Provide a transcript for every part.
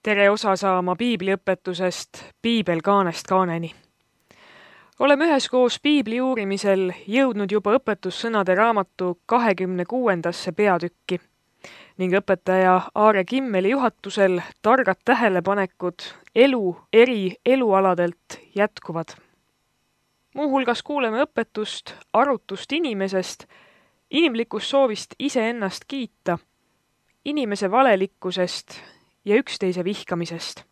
Tere osa saama piibliõpetusest Piibel kaanest kaaneni. Oleme üheskoos piibli uurimisel jõudnud juba õpetussõnade raamatu 26. peatükki ning õpetaja Aare Kimmeli juhatusel targad tähelepanekud elu eri elualadelt jätkuvad. Muuhulgas kuuleme õpetust arutust inimesest, inimlikust soovist iseennast kiita, inimese valelikkusest ja üksteise vihkamisest.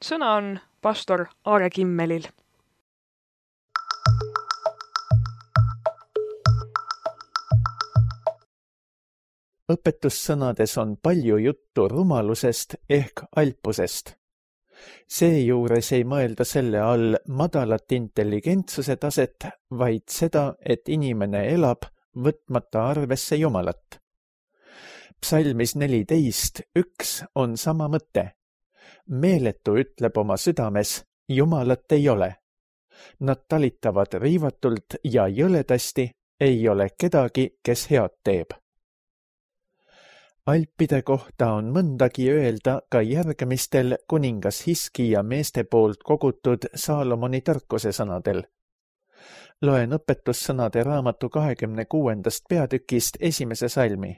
Sõna on pastor Aare Kimmelil. Õpetussõnades on palju juttu rumalusest ehk alpusest. Seejuures ei mõelda selle all madalat intelligentsuse taset, vaid seda, et inimene elab, võtmata arvesse Jumalat. Psalmis 14:1 on sama mõte. Meeletu ütleb oma südames, Jumalat ei ole. Nad talitavad riivatult ja jõledasti, ei ole kedagi, kes head teeb. Alpide kohta on mõndagi öelda ka järgmistel kuningas Hiskija meeste poolt kogutud Saalomoni tarkuse sõnadel. Loen õpetussõnade raamatu 26. peatükist 1. salmi.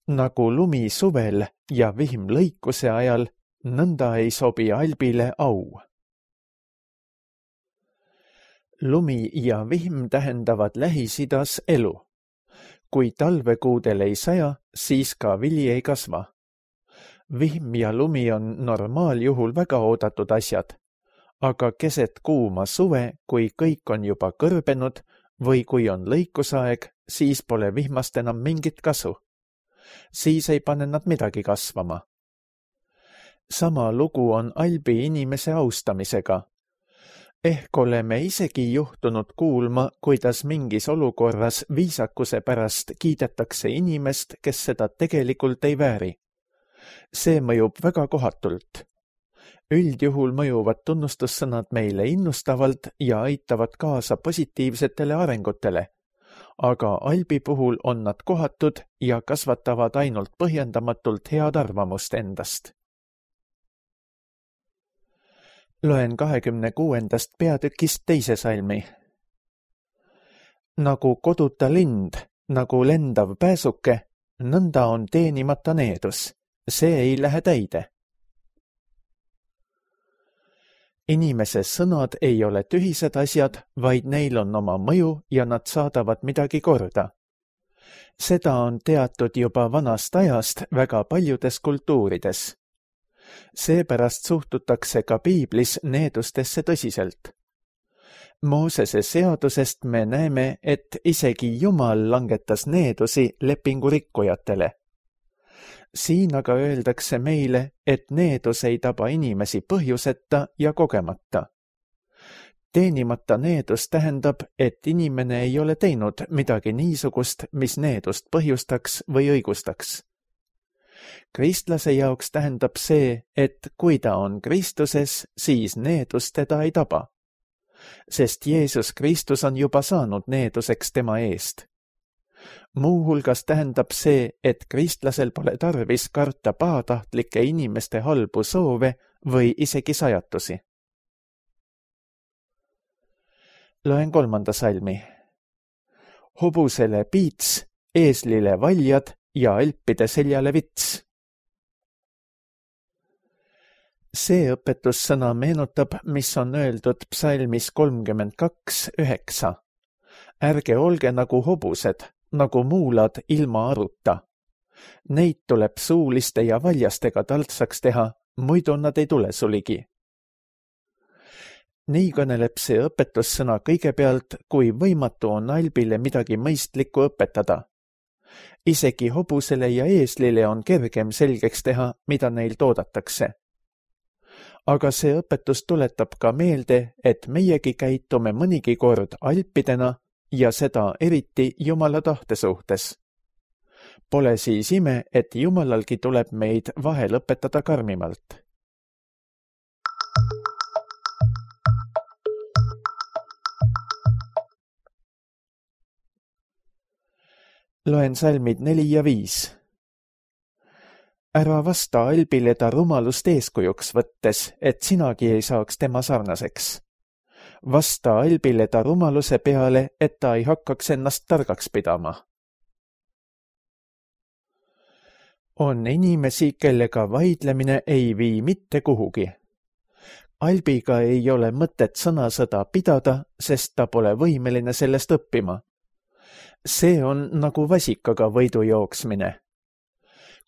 Nagu lumi suvel ja vihm lõikuse ajal, nõnda ei sobi Albile au. Lumi ja vihm tähendavad Lähis-Idas elu. Kui talvekuudel ei saja, siis ka vili ei kasva. Vihm ja lumi on normaaljuhul väga oodatud asjad, aga keset kuuma suve, kui kõik on juba kõrbenud või kui on lõikusaeg, siis pole vihmast enam mingit kasu. Siis ei pane nad midagi kasvama. Sama lugu on Albi inimese austamisega. Ehk oleme isegi juhtunud kuulma, kuidas mingis olukorras viisakuse pärast kiidetakse inimest, kes seda tegelikult ei vääri. See mõjub väga kohatult. Üldjuhul mõjuvad tunnustussõnad meile innustavalt ja aitavad kaasa positiivsetele arengutele, aga Albi puhul on nad kohatud ja kasvatavad ainult põhjendamatult head arvamust endast. Loen 26. peatükist 2. salmi. Nagu koduta lind, nagu lendav pääsuke, nõnda on teenimata needus. See ei lähe täide. Inimese sõnad ei ole tühised asjad, vaid neil on oma mõju ja nad saadavad midagi korda. Seda on teatud juba vanast ajast väga paljudes kultuurides. Seepärast suhtutakse ka piiblis needustesse tõsiselt. Moosese seadusest me näeme, et isegi Jumal langetas needusi lepingurikkujatele. Siin aga öeldakse meile, et needus ei taba inimesi põhjuseta ja kogemata. Teenimata needus tähendab, et inimene ei ole teinud midagi niisugust, mis needust põhjustaks või õigustaks. Kristlase jaoks tähendab see, et kui ta on Kristuses, siis needus teda ei taba. Sest Jeesus Kristus on juba saanud needuseks tema eest. Muuhulgas tähendab see, et kristlasel pole tarvis karta pahatahtlike inimeste halbu soove või isegi sajatusi. Loen 3. salmi. Hobusele piits, eeslile valjad ja alpide seljale vits. See õpetussõna meenutab, mis on öeldud psalmis 32:9. Ärge olge nagu hobused, nagu muulad ilma aruta. Neid tuleb suuliste ja valjastega taltsaks teha, muidu nad ei tule suligi. Nii kõneleb see õpetussõna kõigepealt, kui võimatu on Albile midagi mõistlikku õpetada. Isegi hobusele ja eeslile on kergem selgeks teha, mida neil toodatakse. Aga see õpetus tuletab ka meelde, et meiegi käitume mõnigi kord alpidena ja seda eriti Jumala tahte suhtes. Pole siis ime, et Jumalalgi tuleb meid vahel õpetada karmimalt. Loen salmid 4 ja 5. ära vasta Albile ta rumalust eeskujuks võttes, et sinagi ei saaks tema sarnaseks. Vasta Albile ta rumaluse peale, et ta ei hakkaks ennast targaks pidama. On inimesi, kellega vaidlemine ei vii mitte kuhugi. Albiga ei ole mõtet sõnasõda pidada, sest ta pole võimeline sellest õppima. See on nagu vasikaga võidu jooksmine.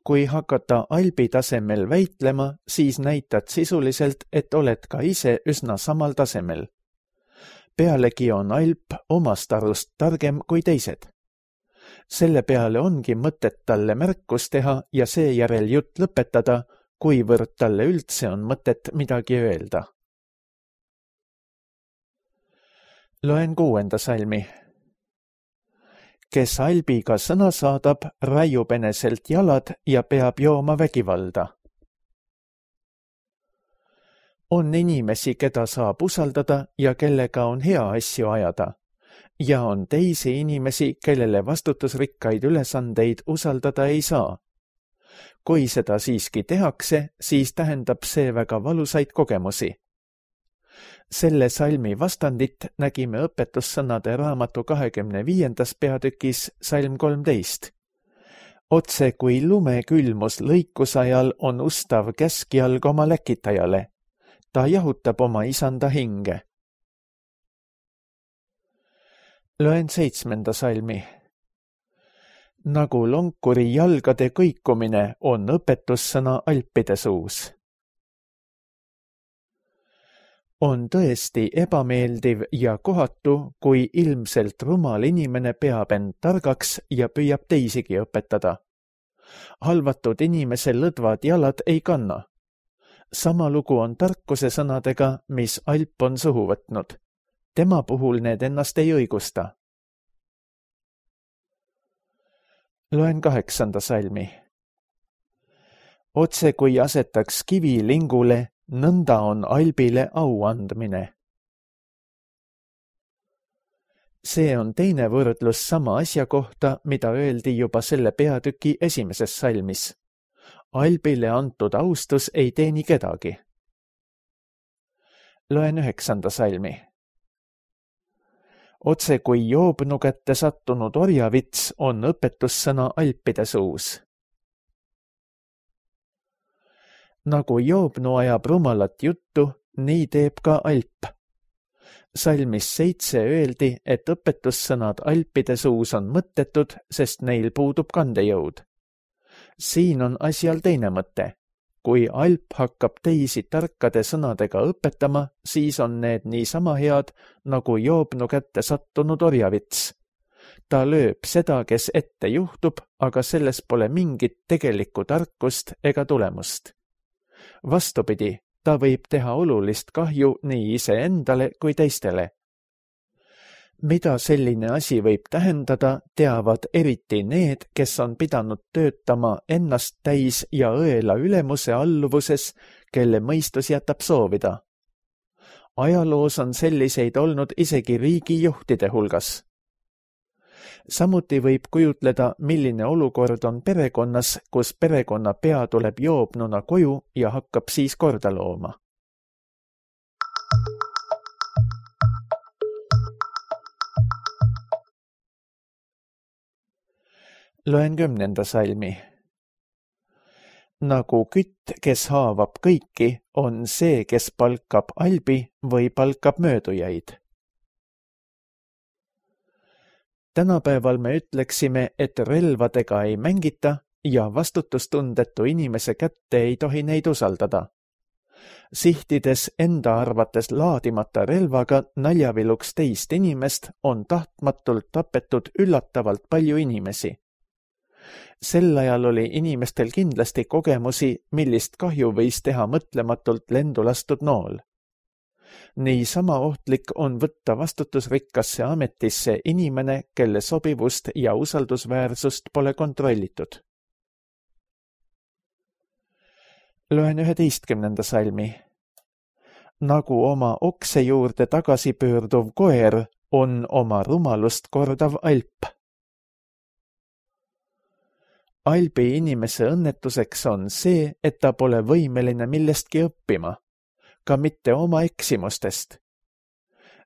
Kui hakata Albi tasemel väitlema, siis näitad sisuliselt, et oled ka ise üsna samal tasemel. Pealegi on Alp omast arust targem kui teised. Selle peale ongi mõtet talle märkus teha ja seejärel jutt lõpetada, kuivõrd talle üldse on mõtet midagi öelda. Loen 6. salmi. Kes Albiga sõna saadab, raiub eneselt jalad ja peab jooma vägivalda. On inimesi, keda saab usaldada ja kellega on hea asju ajada. Ja on teisi inimesi, kellele vastutusrikkaid ülesandeid usaldada ei saa. Kui seda siiski tehakse, siis tähendab see väga valusaid kogemusi. Selle salmi vastandit nägime õpetussõnade raamatu 25. peatükis salm 13. Otse kui lumekülmus lõikusajal on ustav käskjalg oma läkitajale. Ta jahutab oma isanda hinge. Loen 7. salmi. Nagu lonkuri jalgade kõikumine on õpetussõna Alpide suus. On tõesti ebameeldiv ja kohatu, kui ilmselt rumal inimene peab end targaks ja püüab teisigi õpetada. Halvatud inimese lõdvad jalad ei kanna. Sama lugu on tarkuse sõnadega, mis Alp on suhu võtnud. Tema puhul need ennast ei õigusta. Loen 8. salmi. Otse kui asetaks kivi lingule, nõnda on Albile au andmine. See on teine võrdlus sama asja kohta, mida öeldi juba selle peatüki 1. salmis. Albile antud austus ei teeni kedagi. Loen 9. salmi. Otse kui joobnu kätte sattunud orjavits on õpetussõna Alpide suus. Nagu joobnu ajab rumalat juttu, nii teeb ka Alp. Salmis 7 öeldi, et õpetussõnad Alpide suus on mõttetud, sest neil puudub kandejõud. Siin on asjal teine mõte. Kui Alp hakkab teisi tarkade sõnadega õpetama, siis on need niisama head, nagu joobnu kätte sattunud orjavits. Ta lööb seda, kes ette juhtub, aga selles pole mingit tegelikku tarkust ega tulemust. Vastupidi, ta võib teha olulist kahju nii iseendale kui teistele. Mida selline asi võib tähendada, teavad eriti need, kes on pidanud töötama ennast täis ja õela ülemuse alluvuses, kelle mõistus jätab soovida. Ajaloos on selliseid olnud isegi riigijuhtide hulgas. Samuti võib kujutleda, milline olukord on perekonnas, kus perekonna pea tuleb joobnuna koju ja hakkab siis korda looma. Loen 10. salmi. Nagu kütt, kes haavab kõiki, on see, kes palkab Albi või palkab möödujaid. Tänapäeval me ütleksime, et relvadega ei mängita ja vastutustundetu inimese kätte ei tohi neid usaldada. Sihtides enda arvates laadimata relvaga naljaviluks teist inimest on tahtmatult tapetud üllatavalt palju inimesi. Sel ajal oli inimestel kindlasti kogemusi, millist kahju võis teha mõtlematult lendu lastud nool. Nii sama ohtlik on võtta vastutusrikkasse ametisse inimene, kelle sobivust ja usaldusväärsust pole kontrollitud. Loen 11. salmi. Nagu oma okse juurde tagasi pöörduv koer on oma rumalust kordav Alp. Albi inimese õnnetuseks on see, et ta pole võimeline millestki õppima, ka mitte oma eksimustest.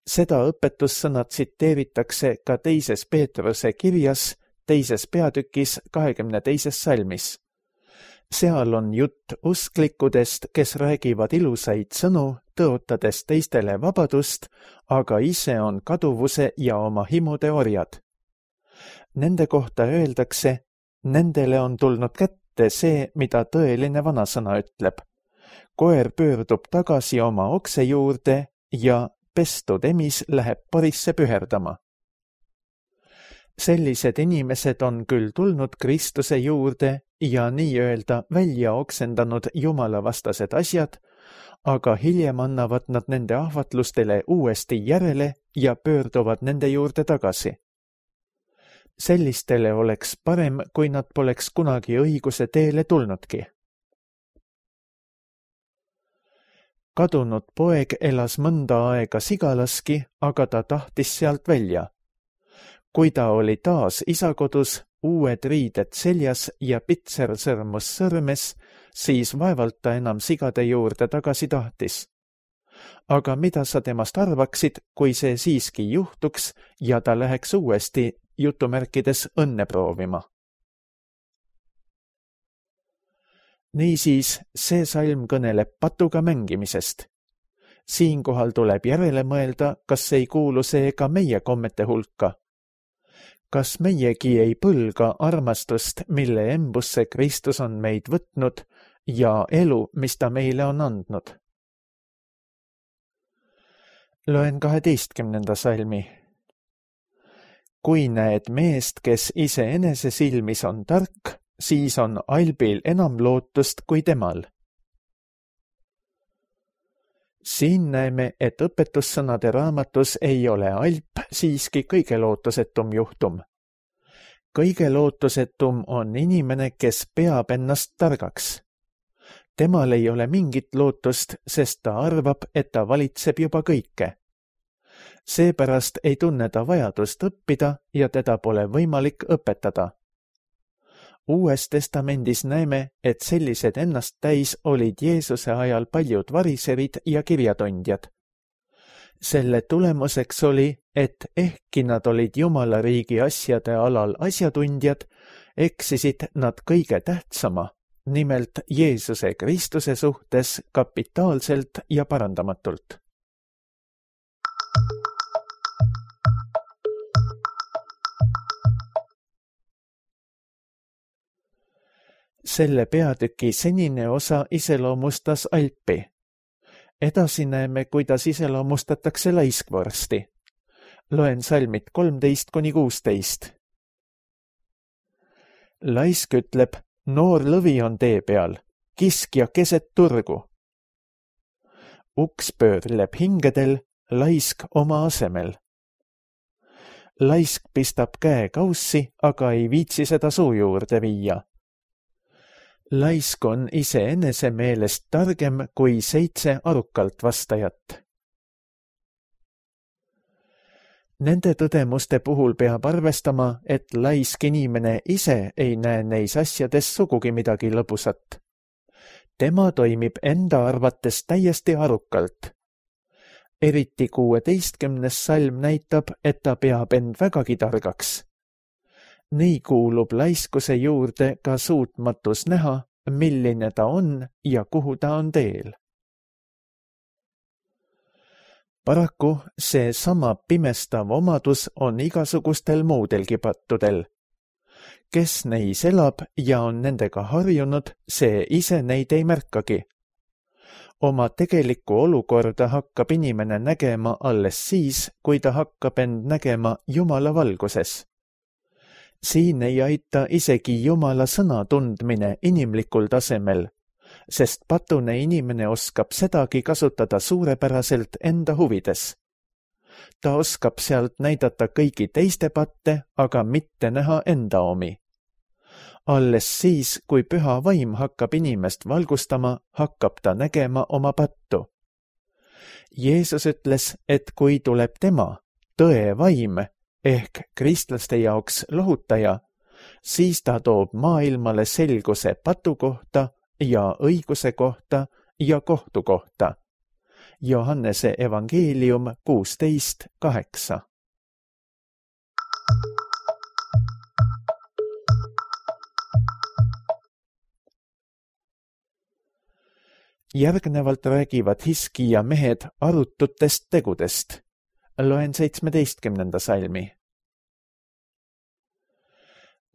Seda õpetussõna tsiteeritakse ka 2. Peetruse kirjas 2. peatükis 22. salmis. Seal on jutt usklikudest, kes räägivad ilusaid sõnu, tõotades teistele vabadust, aga ise on kaduvuse ja oma himude orjad. Nende kohta öeldakse, nendele on tulnud kätte see, mida tõeline vanasõna ütleb. Koer pöördub tagasi oma okse juurde ja pestud emis läheb parisse püherdama. Sellised inimesed on küll tulnud Kristuse juurde ja nii-öelda välja oksendanud jumalavastased asjad, aga hiljem annavad nad nende ahvatlustele uuesti järele ja pöörduvad nende juurde tagasi. Sellistele oleks parem, kui nad poleks kunagi õiguse teele tulnudki. Kadunud poeg elas mõnda aega Sigalaski, aga ta tahtis sealt välja. Kui ta oli taas isa kodus, uued riided seljas ja pitsersõrmus sõrmes, siis vaevalt ta enam sigade juurde tagasi tahtis. Aga mida sa temast arvaksid, kui see siiski juhtuks ja ta läheks uuesti jutumärkides õnne proovima? Niisiis, see salm kõneleb patuga mängimisest. Siinkohal tuleb järele mõelda, kas ei kuulu see ka meie kommete hulka. Kas meiegi ei põlga armastust, mille embusse Kristus on meid võtnud ja elu, mis ta meile on andnud? Loen 12. salmi. Kui näed meest, kes iseenese silmis on tark, siis on Albil enam lootust kui temal. Siin näeme, et õpetussõnade raamatus ei ole Alp siiski kõige lootusetum juhtum. Kõige lootusetum on inimene, kes peab ennast targaks. Temal ei ole mingit lootust, sest ta arvab, et ta valitseb juba kõike. Seepärast ei tunne ta vajadust õppida ja teda pole võimalik õpetada. Uues testamendis näeme, et sellised ennast täis olid Jeesuse ajal paljud variserid ja kirjatondjad. Selle tulemuseks oli, et ehkki nad olid Jumala riigi asjade alal asjatundjad, eksisid nad kõige tähtsama, nimelt Jeesuse Kristuse suhtes kapitaalselt ja parandamatult. Selle peatüki senine osa iseloomustas Alpi. Edasi näeme, kuidas iseloomustatakse laiskvorsti. Loen salmid 13–16. Laisk ütleb, noor lõvi on tee peal, kiskja keset turgu. Uks pöörleb hingedel, laisk oma asemel. Laisk pistab käe kaussi, aga ei viitsi seda suu juurde viia. Laisk on iseenese meelest targem kui 7 arukalt vastajat. Nende tõdemuste puhul peab arvestama, et laisk inimene ise ei näe neis asjades sugugi midagi lõbusat. Tema toimib enda arvates täiesti arukalt. Eriti 16. salm näitab, et ta peab end vägagi targaks. Nii kuulub laiskuse juurde ka suutmatus näha, milline ta on ja kuhu ta on teel. Paraku see sama pimestav omadus on igasugustel muudelgi pattudel. Kes neis elab ja on nendega harjunud, see ise neid ei märkagi. Oma tegelikku olukorda hakkab inimene nägema alles siis, kui ta hakkab end nägema Jumala valguses. Siin ei aita isegi Jumala sõna tundmine inimlikul tasemel, sest patune inimene oskab sedagi kasutada suurepäraselt enda huvides. Ta oskab sealt näidata kõigi teiste patte, aga mitte näha enda omi. Alles siis, kui püha vaim hakkab inimest valgustama, hakkab ta nägema oma pattu. Jeesus ütles, et kui tuleb tema, tõe vaim, ehk kristlaste jaoks lohutaja, siis ta toob maailmale selguse patu kohta ja õiguse kohta ja kohtu kohta. Johannese evangeelium 16:8. Järgnevalt räägivad Hiskija mehed arututest tegudest. Loen 17. salmi.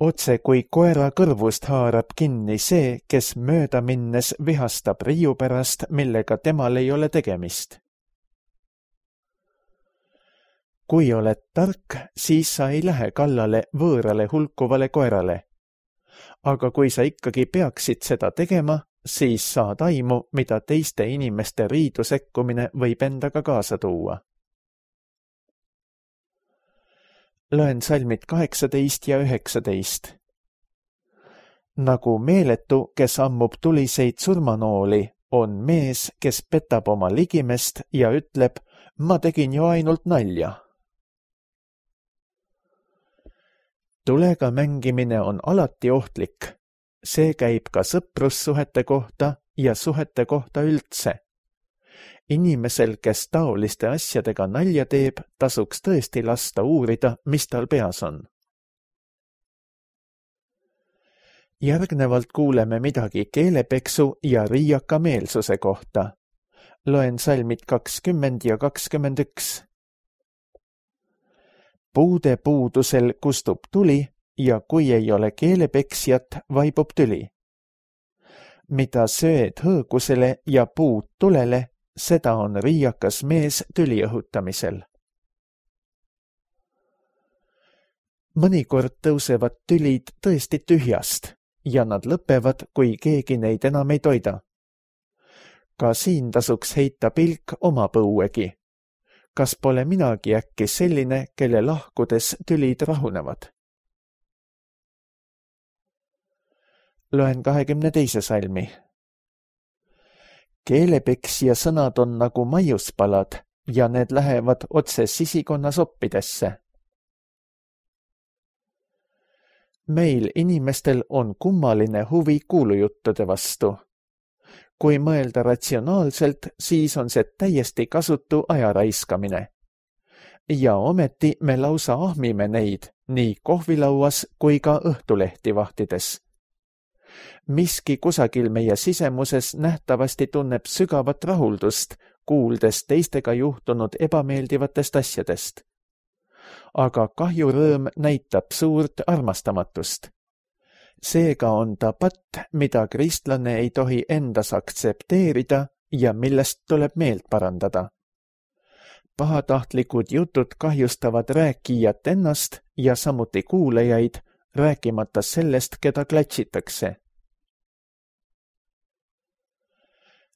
Otse kui koera kõrvust haarab kinni see, kes mööda minnes vihastab riiu pärast, millega temal ei ole tegemist. Kui oled tark, siis sa ei lähe kallale võõrale hulkuvale koerale. Aga kui sa ikkagi peaksid seda tegema, siis saad aimu, mida teiste inimeste riidu sekkumine võib endaga kaasa tuua. Loen salmid 18 ja 19. Nagu meeletu, kes ammub tuliseid surmanooli, on mees, kes petab oma ligimest ja ütleb, ma tegin ju ainult nalja. Tulega mängimine on alati ohtlik. See käib ka sõprussuhete kohta ja suhete kohta üldse. Inimesel, kes taoliste asjadega nalja teeb, tasuks tõesti lasta uurida, mis tal peas on. Järgnevalt kuuleme midagi keelepeksu ja riiaka meelsuse kohta. Loen salmid 20 ja 21. Puude puudusel kustub tuli ja kui ei ole keelepeksjat, vaibub tüli. Mida sööd hõõgusele ja puud tulele, seda on riiakas mees tüli õhutamisel. Mõnikord tõusevad tülid tõesti tühjast ja nad lõpevad, kui keegi neid enam ei toida. Ka siin tasuks heita pilk oma põuegi. Kas pole minagi äkki selline, kelle lahkudes tülid rahunevad? Loen 22. salmi. Keelepeksja sõnad on nagu maiuspalad ja need lähevad otse sisikonna soppidesse. Meil inimestel on kummaline huvi kuulujuttude vastu. Kui mõelda ratsionaalselt, siis on see täiesti kasutu aja raiskamine. Ja ometi me lausa ahmime neid nii kohvilauas kui ka õhtulehti vahtides. Miski kusagil meie sisemuses nähtavasti tunneb sügavat rahuldust, kuuldes teistega juhtunud ebameeldivatest asjadest. Aga kahjurõõm näitab suurt armastamatust. Seega on ta patt, mida kristlane ei tohi endas aktsepteerida ja millest tuleb meelt parandada. Pahatahtlikud jutud kahjustavad rääkijat ennast ja samuti kuulajaid, rääkimata sellest, keda klatsitakse.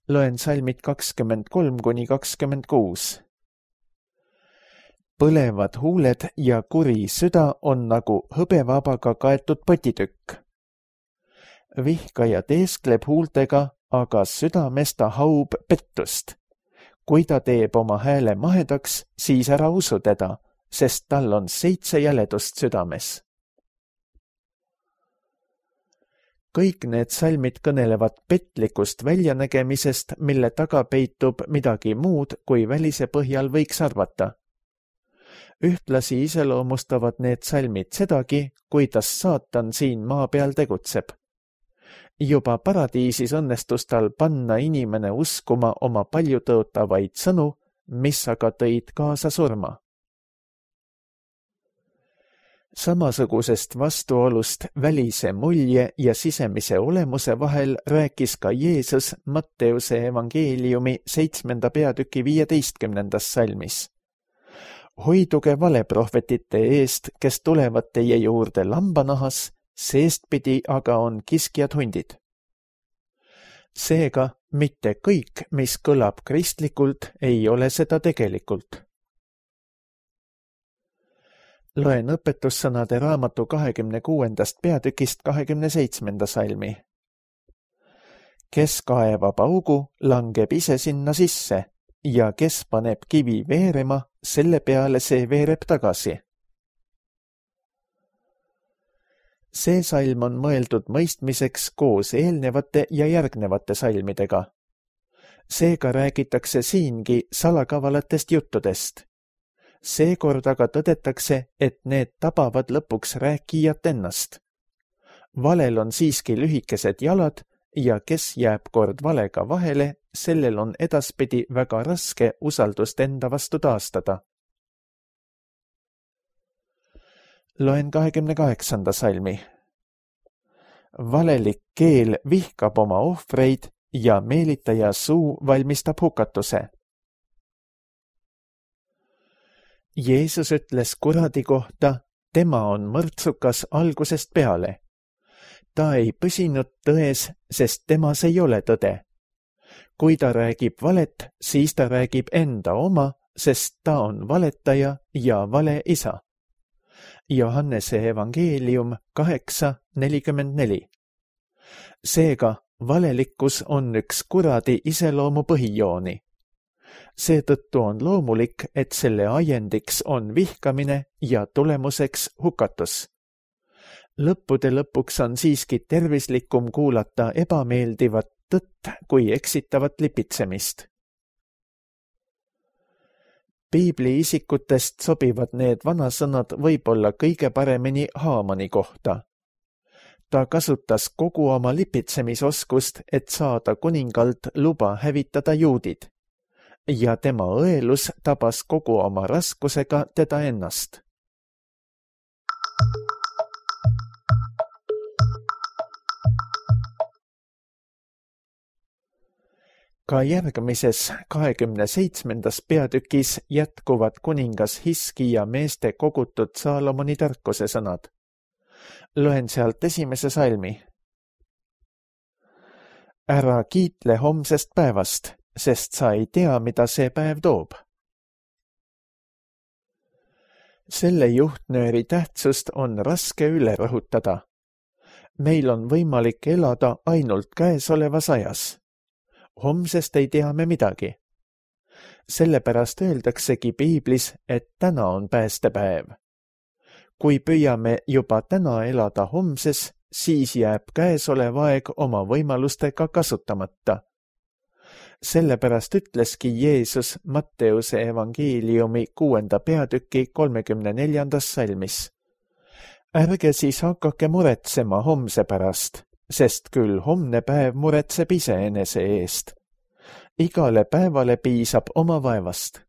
Loen salmid 23–26. Põlevad huuled ja kuri süda on nagu hõbevabaga kaetud potitükk. Vihkaja teeskleb huultega, aga südames ta haub pettust. Kui ta teeb oma hääle mahedaks, siis ära usu teda, sest tal on 7 jäledust südames. Kõik need salmid kõnelevad petlikust väljanägemisest, mille taga peitub midagi muud, kui välise põhjal võiks arvata. Ühtlasi iseloomustavad need salmid sedagi, kuidas saatan siin maa peal tegutseb. Juba paradiisis õnnestus tal panna inimene uskuma oma paljutõotavaid sõnu, mis aga tõid kaasa surma. Samasugusest vastuolust välise mulje ja sisemise olemuse vahel rääkis ka Jeesus Matteuse evangeeliumi 7. peatüki 15. salmis. Hoiduge valeprohvetite eest, kes tulevad teie juurde lambanahas, seestpidi aga on kiskjad hundid. Seega mitte kõik, mis kõlab kristlikult, ei ole seda tegelikult. Loen õpetussõnade raamatu 26. peatükist 27. salmi. Kes kaevab augu, langeb ise sinna sisse ja kes paneb kivi veerema, selle peale see veereb tagasi. See salm on mõeldud mõistmiseks koos eelnevate ja järgnevate salmidega. Seega räägitakse siingi salakavalatest juttudest. Seekord aga tõdetakse, et need tabavad lõpuks rääkijat ennast. Valel on siiski lühikesed jalad ja kes jääb kord valega vahele, sellel on edaspidi väga raske usaldust enda vastu taastada. Loen 28. salmi. Valelik keel vihkab oma ohvreid ja meelitaja suu valmistab hukatuse. Jeesus ütles kuradi kohta, tema on mõrtsukas algusest peale. Ta ei püsinud tões, sest temas ei ole tõde. Kui ta räägib valet, siis ta räägib enda oma, sest ta on valetaja ja vale isa. Johannese evangeelium 8:44. Seega, valelikkus on üks kuradi iseloomu põhijooni. Seetõttu on loomulik, et selle ajendiks on vihkamine ja tulemuseks hukatus. Lõppude lõpuks on siiski tervislikum kuulata ebameeldivat tõtt kui eksitavat lipitsemist. Piibli isikutest sobivad need vanasõnad võib-olla kõige paremini Haamani kohta. Ta kasutas kogu oma lipitsemisoskust, et saada kuningalt luba hävitada juudid. Ja tema õelus tabas kogu oma raskusega teda ennast. Ka järgmises 27. peatükis jätkuvad kuningas Hiskija meeste kogutud Saalomoni tarkuse sõnad. Loen sealt 1. salmi. Ära kiitle homsest päevast, sest sa ei tea, mida see päev toob. Selle juhtnööri tähtsust on raske üle rõhutada. Meil on võimalik elada ainult käesolevas ajas. Homsest ei tea me midagi. Sellepärast öeldaksegi piiblis, et täna on päästepäev. Kui püüame juba täna elada homses, siis jääb käesolev aeg oma võimalustega kasutamata. Sellepärast ütleski Jeesus Matteuse evangeeliumi 6. peatüki 34. salmis. Ärge siis hakake muretsema homse pärast, sest küll homne päev muretseb iseenese eest. Igale päevale piisab oma vaevast.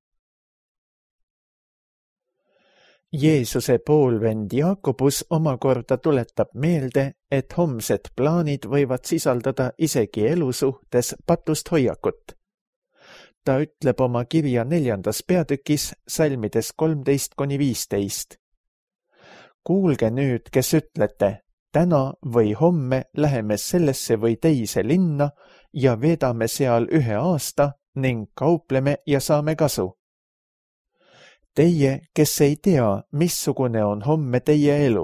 Jeesuse poolvend Jaakobus omakorda tuletab meelde, et homsed plaanid võivad sisaldada isegi elu suhtes patust hoiakut. Ta ütleb oma kirja 4. peatükis salmides 13-15. Kuulge nüüd, kes ütlete, täna või homme läheme sellesse või teise linna ja veedame seal 1 aasta ning kaupleme ja saame kasu. Teie, kes ei tea, missugune on homme teie elu.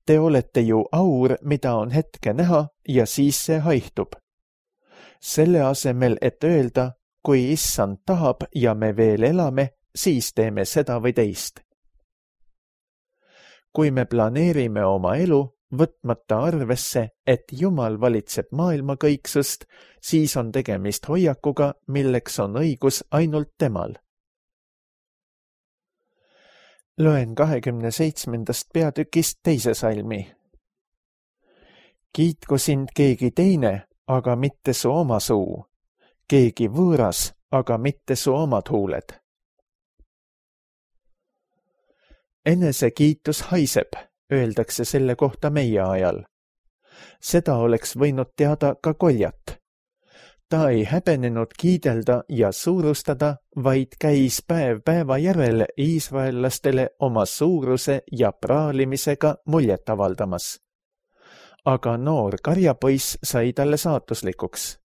Te olete ju aur, mida on hetke näha ja siis see haihtub. Selle asemel, et öelda, kui issand tahab ja me veel elame, siis teeme seda või teist. Kui me planeerime oma elu, võtmata arvesse, et Jumal valitseb maailmakõiksust, siis on tegemist hoiakuga, milleks on õigus ainult temal. Loen 27. peatükist 2. salmi. Kiitku sind keegi teine, aga mitte su oma suu. Keegi võõras, aga mitte su omad huuled. Enesekiitus haiseb, öeldakse selle kohta meie ajal. Seda oleks võinud teada ka Koljat. Ta ei häbenenud kiidelda ja suurustada, vaid käis päev päeva järel iisraellastele oma suuruse ja praalimisega muljet avaldamas. Aga noor karjapoiss sai talle saatuslikuks.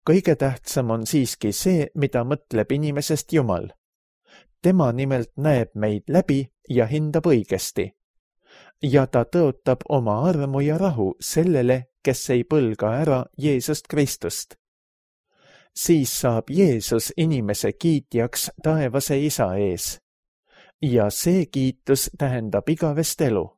Kõige tähtsam on siiski see, mida mõtleb inimesest Jumal. Tema nimelt näeb meid läbi ja hindab õigesti. Ja ta tõotab oma armu ja rahu sellele, kes ei põlga ära Jeesust Kristust. Siis saab Jeesus inimese kiitjaks taevase isa ees. ja see kiitus tähendab igavest elu.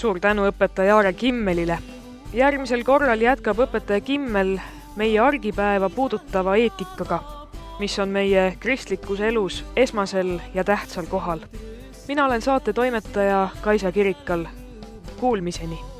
Suur tänu õpetaja Aare Kimmelile. Järgmisel korral jätkab õpetaja Kimmel meie argipäeva puudutava eetikaga, mis on meie kristlikus elus esmasel ja tähtsal kohal. Mina olen saate toimetaja Kaisa Kirikal. Kuulmiseni!